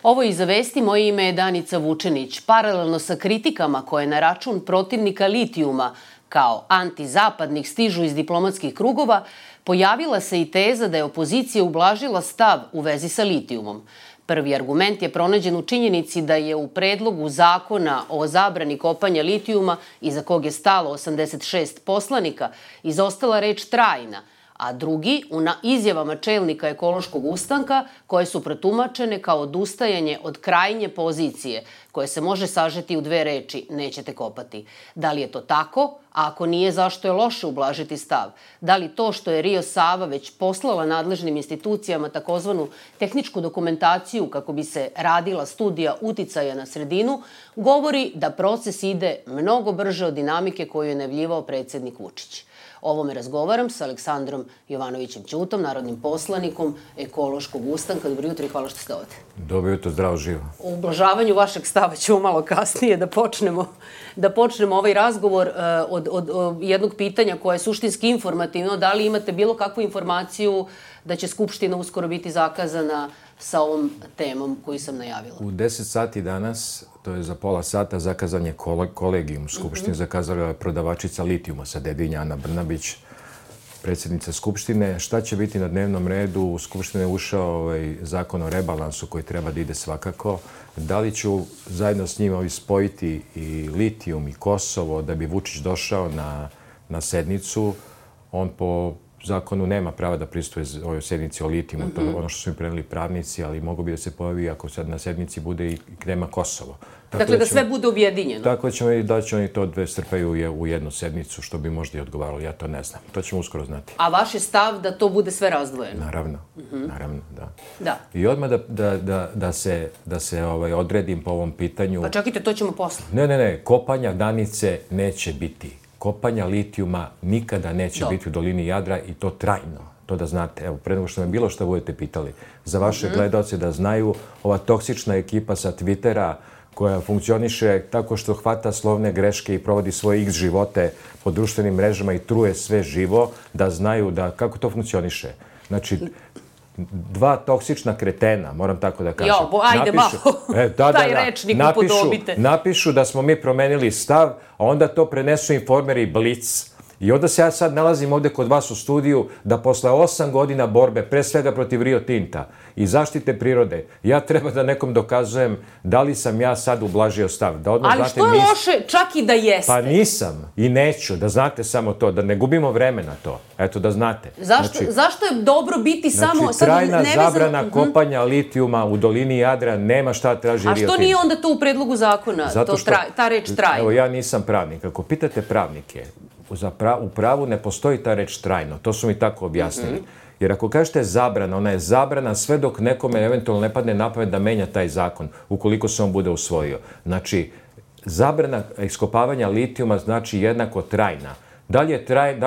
Ovo je Iza vesti, moje ime je Danica Vučenić. Paralelno sa kritikama koje na račun protivnika litijuma kao antizapadnih stižu iz diplomatskih krugova, pojavila se i teza da je opozicija ublažila stav u vezi sa litijumom. Prvi argument je pronađen u činjenici da je u predlogu zakona o zabrani kopanja litijuma, iza kog je stalo 86 poslanika, izostala reč trajna, a drugi u izjavama čelnika ekološkog ustanka koje su protumačene kao odustajanje od krajnje pozicije koje se može sažeti u dve reči nećete kopati. Da li je to tako? A ako nije, zašto je loše ublažiti stav? Da li to što je Rio Sava već poslala nadležnim institucijama takozvanu tehničku dokumentaciju kako bi se radila studija uticaja na sredinu, govori da proces ide mnogo brže od dinamike koju je najavljivao predsednik Vučić? O ovome razgovaram sa Aleksandrom Jovanovićem Ćutom, narodnim poslanikom ekološkog ustanka. Dobro jutro i hvala što ste ovde. Dobro jutro, zdravo živo. O ublažavanju vašeg stava ćemo malo kasnije da počnemo ovaj razgovor od jednog pitanja koje je suštinski informativno. Da li imate bilo kakvu informaciju da će Skupština uskoro biti zakazana sa ovom temom koju sam najavila? U 10 sati danas, to je za pola sata, zakazan je kolegijum Skupštine, zakazala je prodavačica litijuma sa Dedinja, Ana Brnabić, predsjednica Skupštine. Šta će biti na dnevnom redu? U Skupštine je ušao zakon o rebalansu koji treba da ide svakako. Da li ću zajedno s njima spojiti i litijum i Kosovo da bi Vučić došao na sednicu? On po zakonu nema prava da prisustuje ovoj sednici o litijumu, to je ono što su mi preneli pravnici, ali mogu bi da se pojavi ako sad na sednici bude i tema Kosovo. Dakle, da sve bude objedinjeno. Tako da će oni to dve strpaju u jednu sednicu, što bi možda i odgovaralo, ja to ne znam. To ćemo uskoro znati. A vaš je stav da to bude sve razdvojeno? Naravno, da. I odmah da se odredim po ovom pitanju. Pa čekajte, to ćemo posle. Ne, kopanja Danice neće biti. Kopanja litijuma nikada neće biti u dolini Jadra i to trajno. To da znate. Evo, pre nego što me bilo što budete pitali. Za vaše gledalce da znaju, ova toksična ekipa sa Twittera koja funkcioniše tako što hvata slovne greške i provodi svoje x živote po društvenim mrežama i truje sve živo, da znaju kako to funkcioniše. Znači, dva toksična kretena, moram tako da kažem. Ajde malo, taj rečnik upodobite. Napišu da smo mi promenili stav, a onda to prenesu Informer i Blic. I onda se ja sad nalazim ovde kod vas u studiju da posle 8 godina borbe, pre svega protiv Rio Tinta i zaštite prirode, ja treba da nekom dokazujem da li sam ja sad ublažio stav. Ali što je loše čak i da jeste? Pa nisam i neću, da znate samo to, da ne gubimo vreme na to. Eto, da znate. Zašto je dobro biti samo... Trajna zabrana kopanja litijuma u dolini Jadra, nema šta traži Rio Tinto. A što nije onda to u predlogu zakona, ta reč trajno? Evo, ja nisam pravnik. Ako pitate pravnike, u pravu ne postoji ta reč trajno. To su mi tako objasnili. Jer ako kažete zabrana, ona je zabrana sve dok nekome eventualno ne padne na pamet da menja taj zakon, ukoliko se on bude usvojio. Znači, zabrana iskopavanja litijuma znači jednako trajna. Da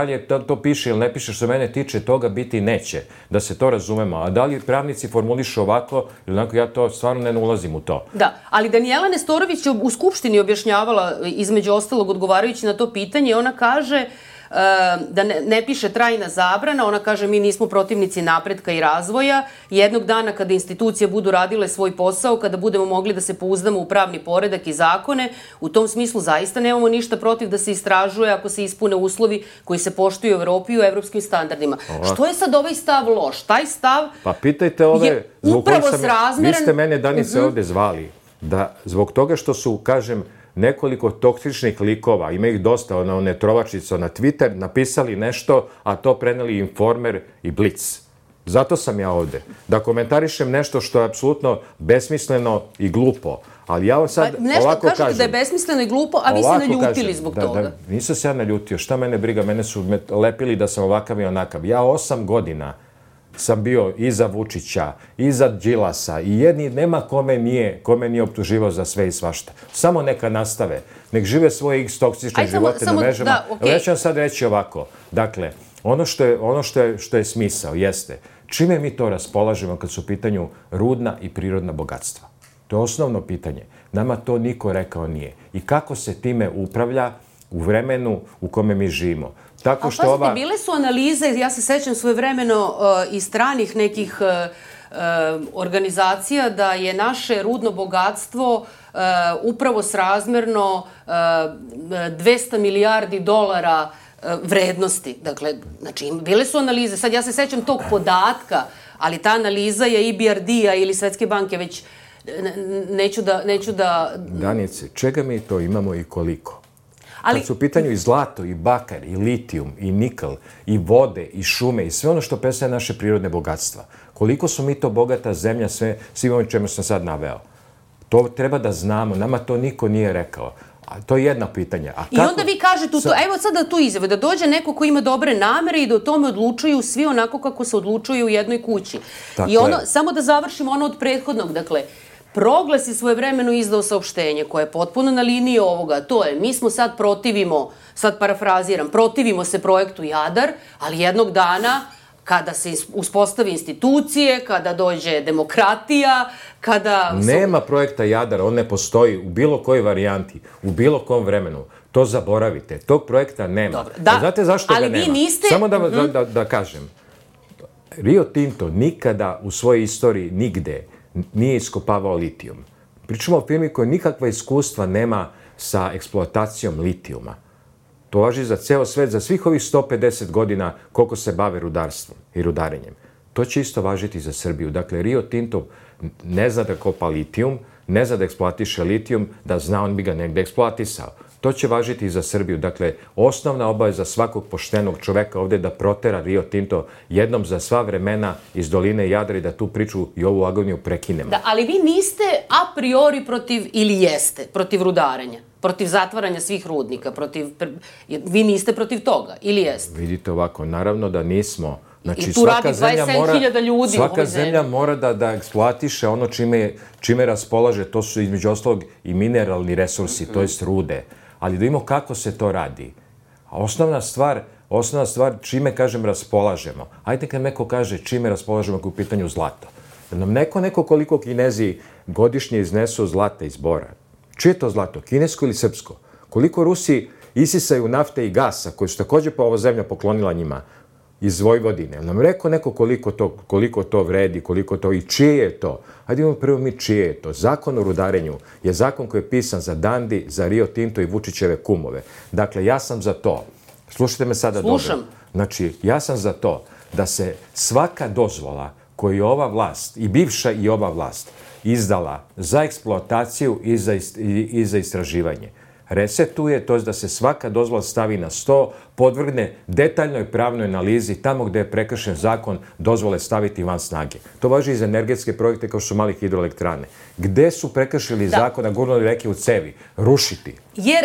li to piše ili ne piše, što mene tiče, toga biti neće, da se to razumemo. A da li pravnici formulišu ovako ili onako, ja to stvarno ne ulazim u to. Da, ali Danijela Nestorović je u Skupštini objašnjavala, između ostalog odgovarajući na to pitanje, ona kaže da ne piše trajna zabrana, ona kaže mi nismo protivnici napretka i razvoja. Jednog dana kada institucije budu radile svoj posao, kada budemo mogli da se pouzdamo u pravni poredak i zakone, u tom smislu zaista nemamo ništa protiv da se istražuje ako se ispune uslovi koji se poštuju u Evropi i u evropskim standardima. Što je sad ovaj stav loš? Taj stav pa pitajte ove, upravo srazmeran... Vi ste mene, Danice, ovde zvali da zbog toga što su, kažem, nekoliko toksičnih likova, ima ih dosta, one trovačice na Twitter, napisali nešto, a to preneli Informer i Blic. Zato sam ja ovde. Da komentarišem nešto što je apsolutno besmisleno i glupo. Ali ja sad ovako kažem... Kažete da je besmisleno i glupo, a vi se naljutili zbog toga. Nisam se ja naljutio. Šta mene briga? Mene su lepili da sam ovakav i onakav. Ja 8 godina sam bio i za Vučića, i za Đilasa, i jedni nema kome nije optuživao za sve i svašta. Samo neka nastave. Nek žive svoje x toksične živote na mrežama. Ja ću vam sad reći ovako. Dakle, ono što je smisao jeste čime mi to raspolažemo kad su u pitanju rudna i prirodna bogatstva. To je osnovno pitanje. Nama to niko rekao nije. I kako se time upravlja u vremenu u kome mi živimo. Ali pazite, bile su analize, ja se sećam svojevremeno iz stranih nekih organizacija da je naše rudno bogatstvo upravo srazmerno 200 milijardi dolara vrednosti. Dakle, znači, bile su analize. Sad ja se sećam tog podatka, ali ta analiza je EBRD-a ili Svetske banke, već neću da... Danice, čega mi to imamo i koliko? Kad su u pitanju i zlato, i bakar, i litijum, i nikl, i vode, i šume, i sve ono što predstavlja naše prirodne bogatstva. Koliko su mi to bogata zemlja, svim ovim čemu sam sad naveo. To treba da znamo, nama to niko nije rekao. A to je jedno pitanje. I onda vi kažete, evo sada tu izjave, da dođe neko ko ima dobre namere i da o tome odlučuju svi onako kako se odlučuju u jednoj kući. I ono, samo da završimo ono od prethodnog, dakle, Proglas je svojevremeno izdao saopštenje koje je potpuno na liniji ovoga. To je, mi smo sad sad parafraziram, protivimo se projektu Jadar, ali jednog dana kada se uspostavi institucije, kada dođe demokratija, kada... Nema projekta Jadar, on ne postoji u bilo kojoj varijanti, u bilo kom vremenu. To zaboravite. Tog projekta nema. Dobro, da, znate zašto ga nema? Ali vi niste... Samo da kažem. Rio Tinto nikada u svojoj istoriji nigde nije iskopavao litijum. Pričamo o firmi koja nikakva iskustva nema sa eksploatacijom litijuma. To važi za ceo svet, za svih ovih 150 godina koliko se bave rudarstvom i rudarenjem. To će isto važiti za Srbiju. Dakle, Rio Tinto ne zna da kopa litijum, ne zna da eksploatiše litijum, da zna on bi ga negde eksploatisao. To će važiti i za Srbiju. Dakle, osnovna obaveza svakog poštenog čoveka ovde je da protera Rio Tinto jednom za sva vremena iz doline Jadra i da tu priču i ovu agoniju prekinemo. Da, ali vi niste a priori protiv, ili jeste, protiv rudarenja, protiv zatvaranja svih rudnika, vi niste protiv toga, ili jeste? Vidite ovako, naravno da nismo. Znači, i tu radi 27.000 ljudi. Svaka zemlja mora da eksploatiše ono čime raspolaže, to su između ostalog i mineralni resursi, to jest rude. Ali da vidimo kako se to radi. A osnovna stvar, čime, kažem, raspolažemo. Ajde kad neko kaže čime raspolažemo ako je u pitanju zlata. Da nam neko koliko Kinezi godišnje iznesu zlata iz bora. Čije je to zlato? Kinesko ili srpsko? Koliko Rusi isisaju nafte i gasa, koji su takođe ova zemlja poklonila njima iz Vojvodine? Nam rekao neko koliko to vredi, koliko to i čije je to? Hajde imamo prvo mi čije je to. Zakon o rudarenju je zakon koji je pisan za Dandi, za Rio Tinto i Vučićeve kumove. Dakle, ja sam za to. Slušajte me sada dobro. Slušam. Znači, ja sam za to da se svaka dozvola koju je ova vlast, i bivša i ova vlast, izdala za eksploataciju i za istraživanje, resetuje, to je da se svaka dozvola stavi na sto, podvrgne detaljnoj pravnoj analizi, tamo gde je prekršen zakon, dozvole staviti van snage. To važi i za energetske projekte kao što su mali hidroelektrane. Gde su prekršili zakon, a gurnuli reke u cevi? Rušiti. Jer...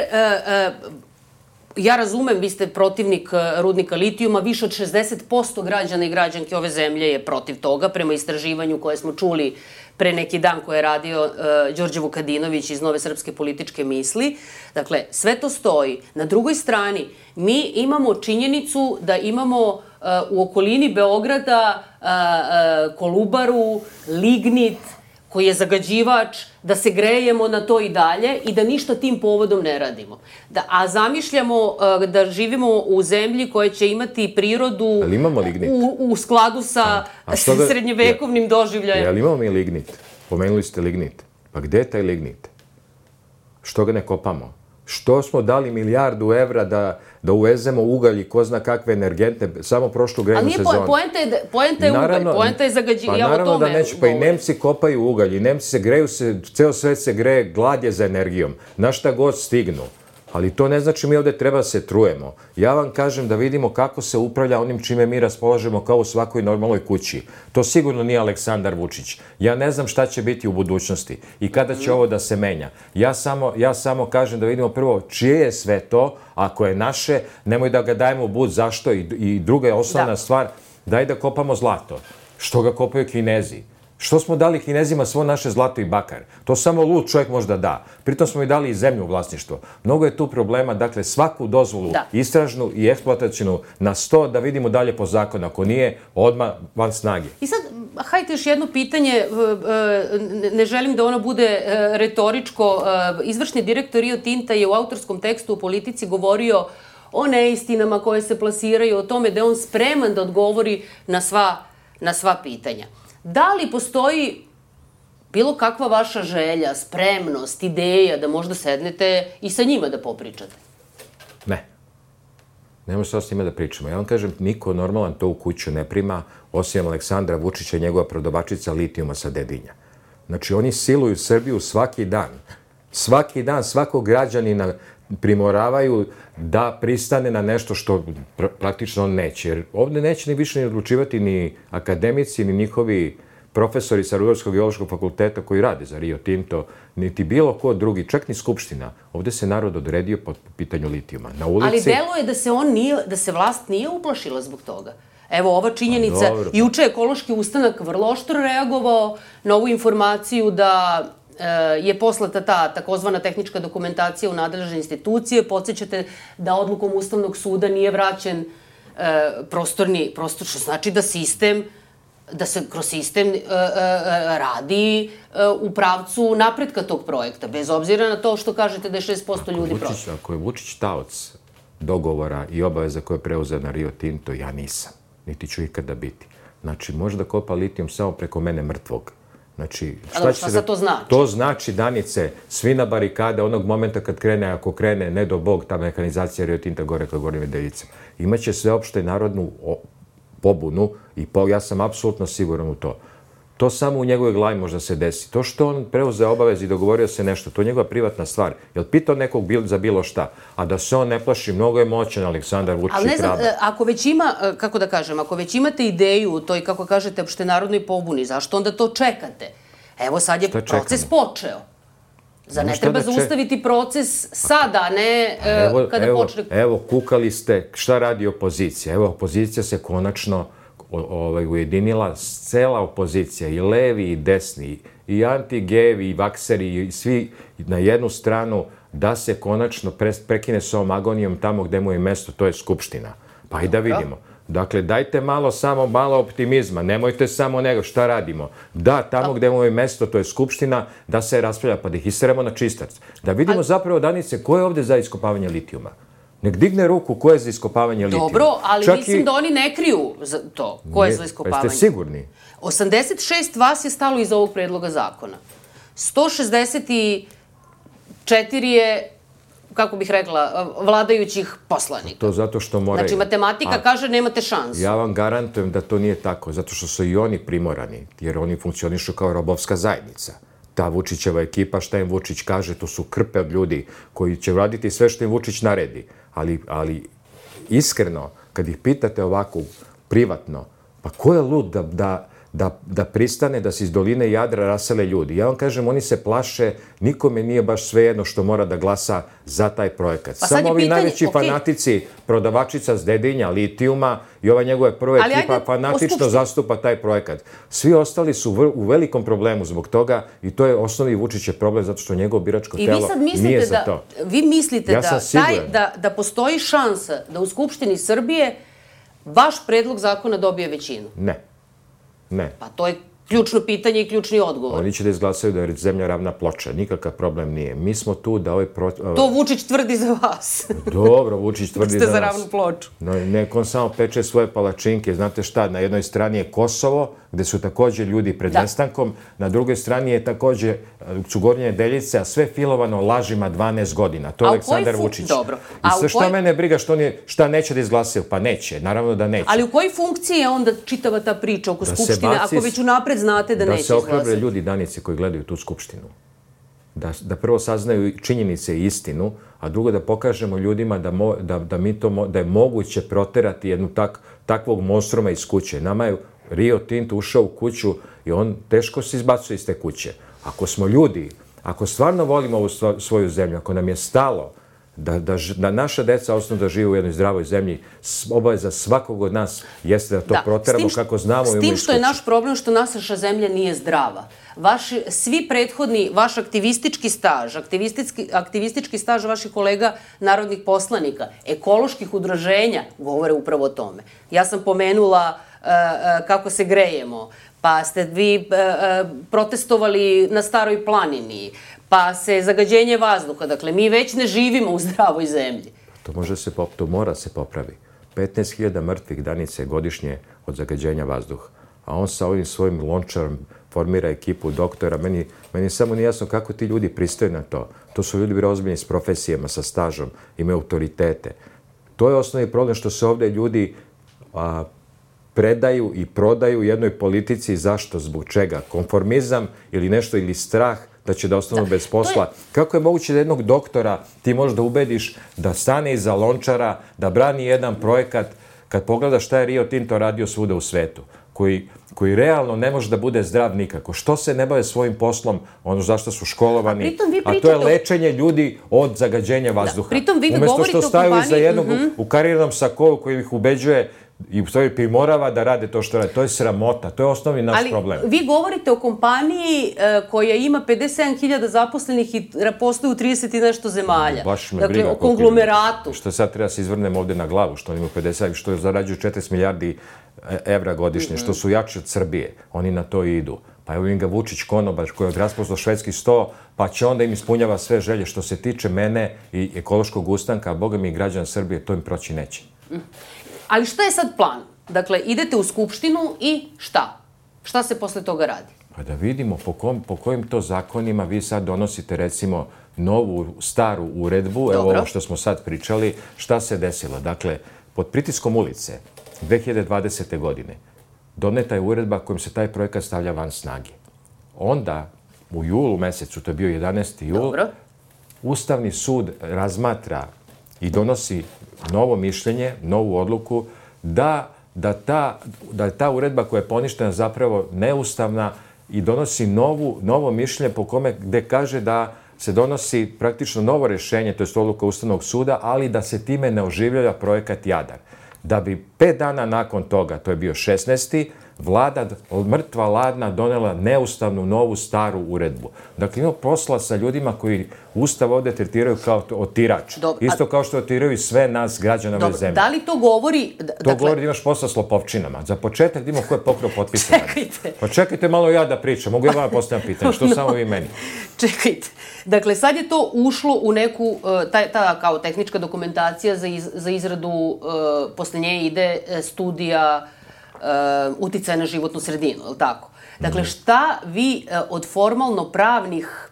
Ja razumem, vi ste protivnik rudnika litijuma, više od 60% građana i građanki ove zemlje je protiv toga, prema istraživanju koje smo čuli pre neki dan koje je radio Đorđe Vukadinović iz Nove srpske političke misli. Dakle, sve to stoji. Na drugoj strani, mi imamo činjenicu da imamo u okolini Beograda Kolubaru, lignit, koji je zagađivač, da se grejemo na to i dalje i da ništa tim povodom ne radimo. A zamišljamo da živimo u zemlji koja će imati prirodu u skladu sa srednjevekovnim doživljajem. Jel imamo mi lignit? Pomenuli ste lignit. Pa gde je taj lignit? Što ga ne kopamo? Što smo dali milijardu evra da uvezemo ugalj i ko zna kakve energente, samo prošlu grejnu sezonu. Ali poenta je ugalj, poenta je zagađivanje. Pa naravno da neću, pa i Nemci kopaju ugalj, i Nemci se greju, ceo svet se greje, glad je za energijom, na šta god stignu. Ali to ne znači mi ovde treba se trujemo. Ja vam kažem da vidimo kako se upravlja onim čime mi raspolažemo kao u svakoj normalnoj kući. To sigurno nije Aleksandar Vučić. Ja ne znam šta će biti u budućnosti i kada će ovo da se menja. Ja samo kažem da vidimo prvo čije je sve to, ako je naše, nemoj da ga dajemo u bud, zašto? I druga je osnovna stvar, daj da kopamo zlato. Što ga kopaju Kinezi? Što smo dali Kinezima svo naše zlato i bakar? To samo lud čovjek možda da. Pritom smo i dali i zemlju u vlasništvo. Mnogo je tu problema, dakle svaku dozvolu, istražnu i eksploatacijnu na 100 da vidimo dalje po zakonu. Ako nije, odmah van snage. I sad, hajte još jedno pitanje, ne želim da ono bude retoričko. Izvršni direktor Rio Tinta je u autorskom tekstu u Politici govorio o neistinama koje se plasiraju, o tome da je on spreman da odgovori na sva pitanja. Da li postoji bilo kakva vaša želja, spremnost, ideja da možda sednete i sa njima da popričate? Ne. Nemo šta s njima da pričamo. Ja vam kažem, niko normalan to u kuću ne prima, osim Aleksandra Vučića i njegova prodavačica litijuma sa Dedinja. Znači, oni siluju Srbiju svaki dan. Svaki dan, svakog građanina primoravaju da pristane na nešto što praktično on neće. Jer ovde neće ni više ni odlučivati ni akademici, ni njihovi profesori sa Rudarskog geološkog fakulteta koji rade za Rio Tinto, niti bilo ko drugi, čak ni Skupština. Ovde se narod odredio po pitanju litijuma. Na ulici... Ali deluje da se vlast nije uplašila zbog toga. Evo, ova činjenica, juče je Ekološki ustanak vrlo oštro reagovao na ovu informaciju da je poslata ta takozvana tehnička dokumentacija u nadležne institucije. Podsjećate da odlukom Ustavnog suda nije vraćen prostor, što znači da se kroz sistem radi u pravcu napretka tog projekta, bez obzira na to što kažete da je 6% ljudi protiv. Ako je Vučić taoc dogovora i obaveza koje je preuzeo na Rio Tinto, ja nisam. Niti ću ikada biti. Znači, može da kopa litijum samo preko mene mrtvog. Znači, šta sad to znači? To znači, Danice, svi na barikade onog momenta kad krene, ako krene, ne do Bog, ta mehanizacija Rio Tinta gore ka Gornjim Nedeljicama. Imaće sveopšte narodnu pobunu i ja sam apsolutno siguran u to. To samo u njegovoj glavi možda se desi. To što on preuzeo obavez i dogovorio se nešto, to je njegova privatna stvar. Jel pitao nekog za bilo šta? A da se on ne plaši, mnogo je moćan Aleksandar Vučić i hrabra. Ali ne znam, ako već ima, kako da kažem, ako već imate ideju u toj, kako kažete, opštenarodnoj pobuni, zašto onda to čekate? Evo sad je proces počeo. Zar ne treba zaustaviti proces sada, a ne kada počne... Evo, kukali ste šta radi opozicija. Evo, opozicija se konačno ujedinila, cela opozicija, i levi i desni, i anti-gejevi, i vakseri, i svi na jednu stranu, da se konačno prekine s ovom agonijom tamo gde mu je mesto, to je Skupština. Pa i da vidimo. Dakle, dajte samo malo optimizma, nemojte samo nego šta radimo. Da, tamo gde mu je mesto, to je Skupština, da se raspravlja, pa da ih isteramo na čistac. Da vidimo zapravo, Danice, ko je ovde za iskopavanje litijuma? Nek digne ruku ko je za iskopavanje litijuma. Dobro, ali mislim da oni ne kriju to, ko je za iskopavanje. Pa ste sigurni? 86 vas je stalo iza ovog predloga zakona. 164 je, kako bih rekla, vladajućih poslanika. To zato što moraju. Znači, matematika kaže nemate šansu. Ja vam garantujem da to nije tako, zato što su i oni primorani, jer oni funkcionišu kao robovska zajednica. Ta Vučićeva ekipa, šta im Vučić kaže, to su krpe od ljudi koji će raditi sve što im Vučić naredi. Ali iskreno, kad ih pitate ovako privatno, pa ko je lud da pristane da se iz doline Jadra rasele ljudi? Ja vam kažem, oni se plaše, nikome nije baš svejedno što mora da glasa za taj projekat. Samo ovi najveći fanatici, prodavačica s Dedinja, litijuma i ova njegova prva ekipa fanatično zastupa taj projekat. Svi ostali su u velikom problemu zbog toga i to je osnovni Vučićev problem zato što njegovo biračko telo nije za to. Vi mislite da postoji šansa da u Skupštini Srbije vaš predlog zakona dobije većinu? Ne. Pa to je ključno pitanje i ključni odgovor. Oni će da izglasaju da je zemlja ravna ploča. Nikakav problem nije. Mi smo tu da To Vučić tvrdi za vas. Dobro, Vučić tvrdi za nas. Ste za ravnu ploču. Neko on samo peče svoje palačinke. Znate šta, na jednoj strani je Kosovo, gde su takođe ljudi pred nestankom. Na drugoj strani je takođe su Gornje Nedeljice, a sve filovano lažima 12 godina. To je Aleksandar Vučić. Dobro. I šta mene briga šta neće da izglasaju? Pa neće, naravno da neće. Ali u kojoj funkciji je onda čitava ta priča oko Skupštine, ako već unapred znate da neće izglasati? Da se ohrabre ljudi, Danice, koji gledaju tu Skupštinu. Da prvo saznaju činjenice i istinu, a drugo da pokažemo ljudima da je moguće proterati jednu takvog monstruma iz kuće. Nama je Rio Tinto ušao u kuću i on teško se izbacuje iz te kuće. Ako smo ljudi, ako stvarno volimo ovu svoju zemlju, ako nam je stalo da naša deca ostanu da žive u jednoj zdravoj zemlji, obaveza svakog od nas jeste da to proteramo kako znamo i umemo iz kuće. S tim što je naš problem što naša zemlja nije zdrava. Svi prethodni, vaš aktivistički staž, aktivistički staž vaših kolega narodnih poslanika, ekoloških udruženja govore upravo o tome. Ja sam pomenula kako se grejemo, pa ste vi protestovali na Staroj planini, pa se zagađenje vazduha. Dakle, mi već ne živimo u zdravoj zemlji. To mora se popravi. 15.000 mrtvih, Danice, godišnje od zagađenja vazduha. a on sa ovim svojim lončarom formira ekipu doktora. Meni samo nije jasno kako ti ljudi pristaju na to. To su ljudi bili ozbiljni s profesijama, sa stažom, imaju autoritete. To je osnovni problem što se ovdje ljudi predaju i prodaju jednoj politici. Zašto? Zbog čega? Konformizam ili nešto, ili strah da će da ostanu bez posla. Kako je moguće da jednog doktora ti možeš da ubediš da stane iza lončara, da brani jedan projekat, kad pogledaš šta je Rio Tinto radio svuda u svetu, koji realno ne može da bude zdrav nikako. Što se ne bave svojim poslom, ono zašto su školovani, a to je lečenje ljudi od zagađenja vazduha. Umesto što staju iza jednog u karirnom sakovu koji ih ubeđuje i u stvari primorava da rade to što rade. To je sramota, to je osnovni naš problem. Ali vi govorite o kompaniji koja ima 57.000 zaposlenih i postoji u 30 i nešto zemalja. Dakle, o konglomeratu. Što sad treba se izvrnem ovde na glavu, što oni imaju 50, što zarađuju 40 milijardi evra godišnje, što su jači od Srbije. Oni na to idu. Pa evo im ga Vučić konobar koji je odraspostao švedski sto, pa će onda im ispunjava sve želje. Što se tiče mene i ekološkog ustanka, a boga mi i građana Srbije, to im proći neće. Ali šta je sad plan? Dakle, idete u Skupštinu i šta? Šta se posle toga radi? Pa da vidimo po kojim to zakonima vi sad donosite, recimo, novu, staru uredbu, evo ovo što smo sad pričali, šta se desilo. Dakle, pod pritiskom ulice 2020. godine doneta je uredba kojom se taj projekat stavlja van snage. Onda, u julu mesecu, to je bio 11. jul, Ustavni sud razmatra i donosi novo mišljenje, novu odluku, da je ta uredba koja je poništena zapravo neustavna i donosi novo mišljenje po kome gde kaže da se donosi praktično novo rešenje, to je odluka Ustavnog suda, ali da se time ne oživljava projekat Jadar. Da bi 5 dana nakon toga, to je bio 16. vlada mrtva ladna donela neustavnu novu staru uredbu. Dakle, ima posla sa ljudima koji Ustav ovde tretiraju kao otirač. Isto kao što otiraju i sve nas građana ove zemlje. Da li to govori... To govori da imaš posla s lopovčinama. Za početak da imamo ko je pokrao potpise. Čekajte. Pa čekajte malo ja da pričam. Mogu ja vam postavljam pitanje. Što samo vi meni? Čekajte. Dakle, sad je to ušlo u neku, ta kao tehnička dokumentacija za izradu, posle nje ide studija uticaja na životnu sredinu, je li tako? Dakle, šta vi od formalno pravnih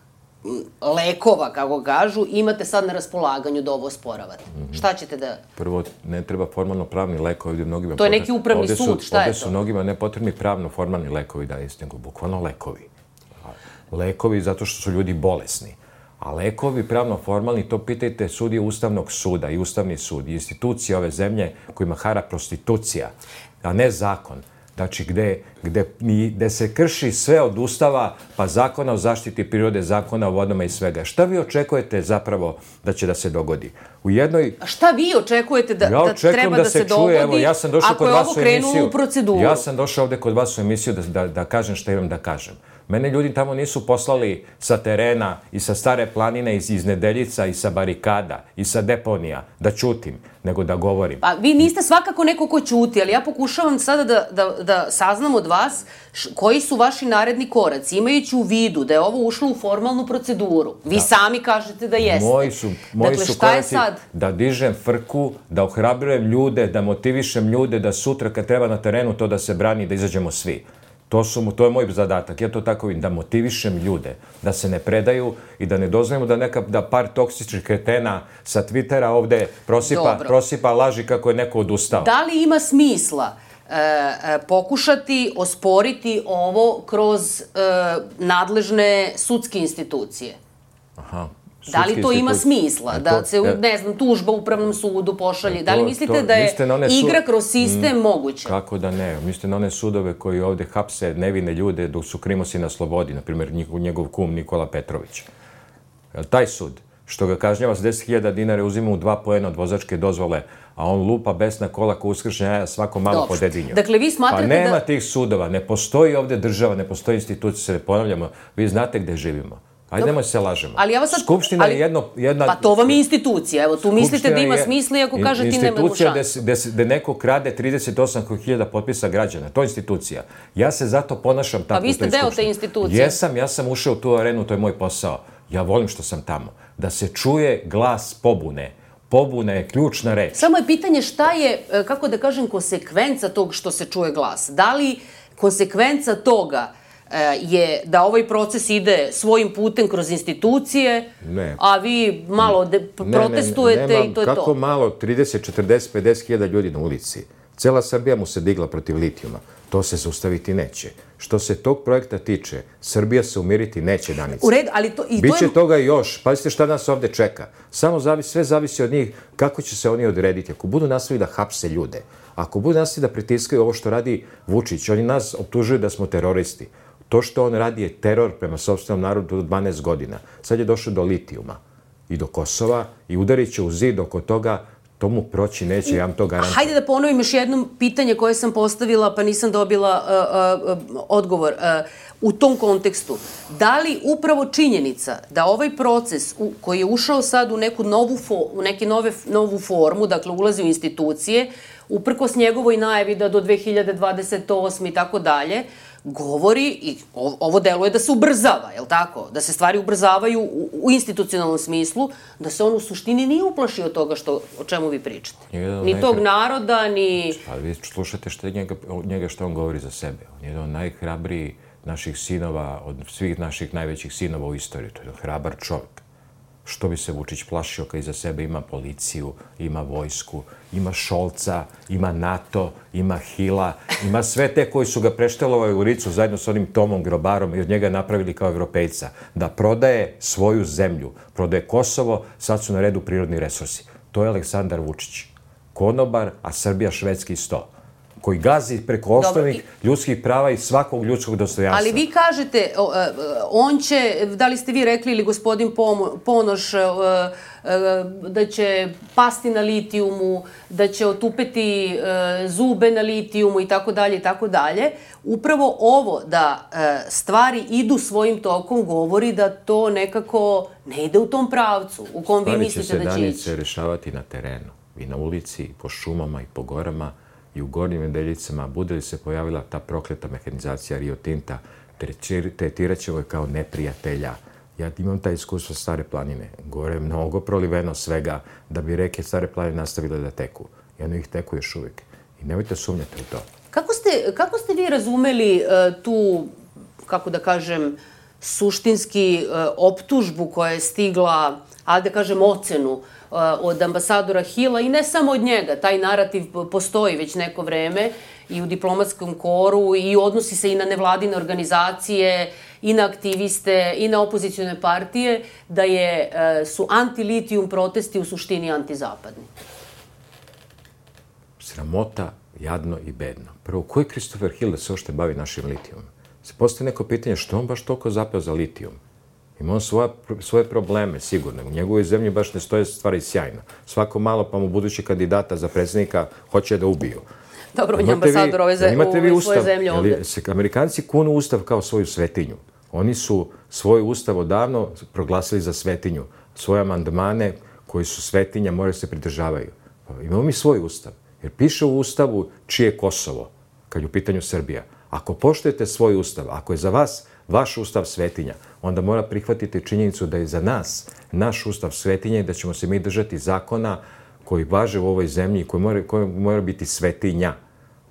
lekova, kako kažu, imate sad na raspolaganju da ovo osporavate? Šta ćete da... Prvo, ne treba formalno pravni lekovi. To je neki upravni sud, šta je to? Ovde su mnogima nepotrebni pravno formalni lekovi, da jeste, nego bukvalno lekovi. Lekovi zato što su ljudi bolesni. A lekovi pravno formalni, to pitajte sudije Ustavnog suda i Ustavni sud, i institucije ove zemlje kojima hara prostitucija, a ne zakon. Znači, gde se krši sve od Ustava, pa zakona o zaštiti prirode, zakona o vodama i svega. Šta vi očekujete zapravo da će da se dogodi? U jednoj... Šta vi očekujete da treba da se dogodi ako je ovo krenulo u proceduru? Ja sam došao ovde kod vas u emisiju da kažem šta imam da kažem. Mene ljudi tamo nisu poslali sa terena i sa Stare planine, iz Nedeljica i sa barikada i sa deponija da ćutim, nego da govorim. Pa vi niste svakako neko ko ćuti, ali ja pokušavam sada da saznam od vas koji su vaši naredni koraci, imajući u vidu da je ovo ušlo u formalnu proceduru. Vi sami kažete da jeste. Moji su koraci da dižem frku, da ohrabrujem ljude, da motivišem ljude, da sutra kad treba na terenu to da se brani, da izađemo svi. To je moj zadatak, ja to tako vidim, da motivišem ljude, da se ne predaju i da ne dozvolimo da par toksičnih kretena sa Twittera ovde prosipa laži kako je neko odustao. Da li ima smisla pokušati osporiti ovo kroz nadležne sudske institucije? Aha. Da li to ima smisla? Da se, ne znam, tužba u Upravnom sudu pošalje? Da li mislite da je igra kroz sistem moguća? Kako da ne? Mislite na one sudove koji ovde hapse nevine ljude dok su krimosi na slobodi, na primjer njegov kum Nikola Petrović. Taj sud, što ga kažnjava s 10.000 dinara, uzima mu 2 poena od vozačke dozvole, a on lupa besna kola ko uskršnja jaja svako malo po dedinju. Dakle, vi smatrate da... Pa nema tih sudova, ne postoji ovde država, ne postoji institucija, se ne ponavljamo, vi znate gde živimo. Ajde, nemoj se lažemo. Skupština je jedna... Pa to vam je institucija. Evo, tu mislite da ima smisla iako kažete nema šanse. Institucija gde neko krade 38.000 potpisa građana. To je institucija. Ja se zato ponašam tako. Pa vi ste deo te institucije. Ja sam ušao u tu arenu, to je moj posao. Ja volim što sam tamo. Da se čuje glas pobune. Pobuna je ključna reč. Samo je pitanje šta je, kako da kažem, konsekvenca tog što se čuje glas. Da li konsekvenca toga je da ovaj proces ide svojim putem kroz institucije, a vi malo protestujete i to je to. Kako malo, 30, 40, 50 hiljada ljudi na ulici. Cela Srbija mu se digla protiv litijuma. To se zaustaviti neće. Što se tog projekta tiče, Srbija se umiriti neće, Danica. U redu, ali to... Biće toga još. Pazite šta nas ovde čeka. Sve zavisi od njih kako će se oni odrediti. Ako budu nastavili da hapse ljude, ako budu nastavili da pritiskaju ovo što radi Vučić, oni nas optužuju da smo teroristi. To što on radi je teror prema sopstvenom narodu od 12 godina. Sad je došlo do litijuma i do Kosova i udarit će u zid oko toga. To mu proći neće, ja vam to garantujem. Hajde da ponovim još jedno pitanje koje sam postavila, pa nisam dobila odgovor. U tom kontekstu, da li upravo činjenica da ovaj proces koji je ušao sad u neku novu formu, dakle ulazi u institucije, uprkos njegovoj najavi da do 2028 i tako dalje, govori, i ovo deluje da se ubrzava, je li tako? Da se stvari ubrzavaju u institucionalnom smislu, da se on u suštini nije uplašio toga o čemu vi pričate. Ni tog naroda, ni... Pa vi slušate njega što on govori za sebe. On je jedan od najhrabrijih naših sinova, od svih naših najvećih sinova u istoriji. To je hrabar čovjek. Što bi se Vučić plašio kad iza sebe ima policiju, ima vojsku, ima Šolca, ima NATO, ima Hila, ima sve te koji su ga preštelovali u licu zajedno s onim Tomom Grobarom i od njega napravili kao evropejca. Da prodaje svoju zemlju, prodaje Kosovo, sad su na redu prirodni resursi. To je Aleksandar Vučić. Konobar, a Srbija švedski sto. Koji gazi preko osnovnih ljudskih prava i svakog ljudskog dostojanstva. Ali vi kažete, on će, da li ste vi rekli ili gospodin Ponoš, da će pasti na litijumu, da će otupeti zube na litijumu i tako dalje i tako dalje. Upravo ovo da stvari idu svojim tokom govori da to nekako ne ide u tom pravcu u kom vi mislite da će ići. Stvari će se, Danice, rešavati na terenu. I na ulici, po šumama i po gorama i u Gornjim Nedeljicama, bude li se pojavila ta prokleta mehanizacija Rio Tinta, tretirat ćemo je kao neprijatelja. Ja imam taj iskustvo Stare planine. Gore je mnogo proliveno svega da bi reke Stare planine nastavile da teku. I ono ih teku još uvijek. I nemojte sumnjati u to. Kako ste vi razumeli tu, kako da kažem, suštinski optužbu koja je stigla, ali da kažem ocenu, od ambasadora Hila i ne samo od njega. Taj narativ postoji već neko vreme i u diplomatskom koru i odnosi se i na nevladine organizacije, i na aktiviste, i na opozicione partije, da su anti-litijum protesti u suštini antizapadni. Sramota, jadno i bedno. Prvo, ko je Christopher Hill da se ošte bavi našim litijumom? Se postoji neko pitanje što on baš toliko zapeo za litijum? Ima on svoje probleme, sigurno. U njegovoj zemlji baš ne stoje stvari sjajno. Svako malo pa mu budući kandidata za predsjednika hoće da ubiju. Dobro, on je ambasador u svoje zemlje ovdje. Amerikanci kunu ustav kao svoju svetinju. Oni su svoj ustav odavno proglasili za svetinju. Svoje amandmane koji su svetinja moraju se pridržavaju. Imamo mi svoj ustav. Jer piše u ustavu čije je Kosovo, kad je u pitanju Srbija. Ako poštujete svoj ustav, ako je za vas vaš ustav svetinja, onda mora prihvatiti činjenicu da je za nas naš ustav svetinja i da ćemo se mi držati zakona koji važe u ovoj zemlji i koji mora biti svetinja.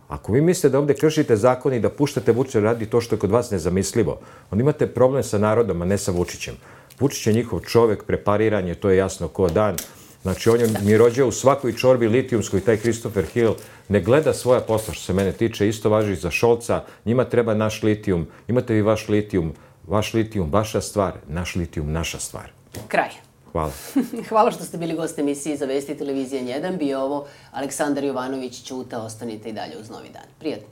Ako vi mislite da ovdje kršite zakon i da puštate Vučića radi to što je kod vas nezamislivo, onda imate problem sa narodom, a ne sa Vučićem. Vučić je njihov čovek, prepariran je, to je jasno ko dan. Znači, on je mirođao u svakoj čorbi litijumskoj, taj Christopher Hill ne gleda svoja posla, što se mene tiče, isto važi i za Šolca, njima treba naš litijum, imate vi vaš litijum, vaša stvar, naš litijum, naša stvar. Kraj. Hvala. Hvala što ste bili gost emisiji za Vesti televizije N1. Bio ovo Aleksandar Jovanović, Ćuta, ostanite i dalje uz Novi dan. Prijatno.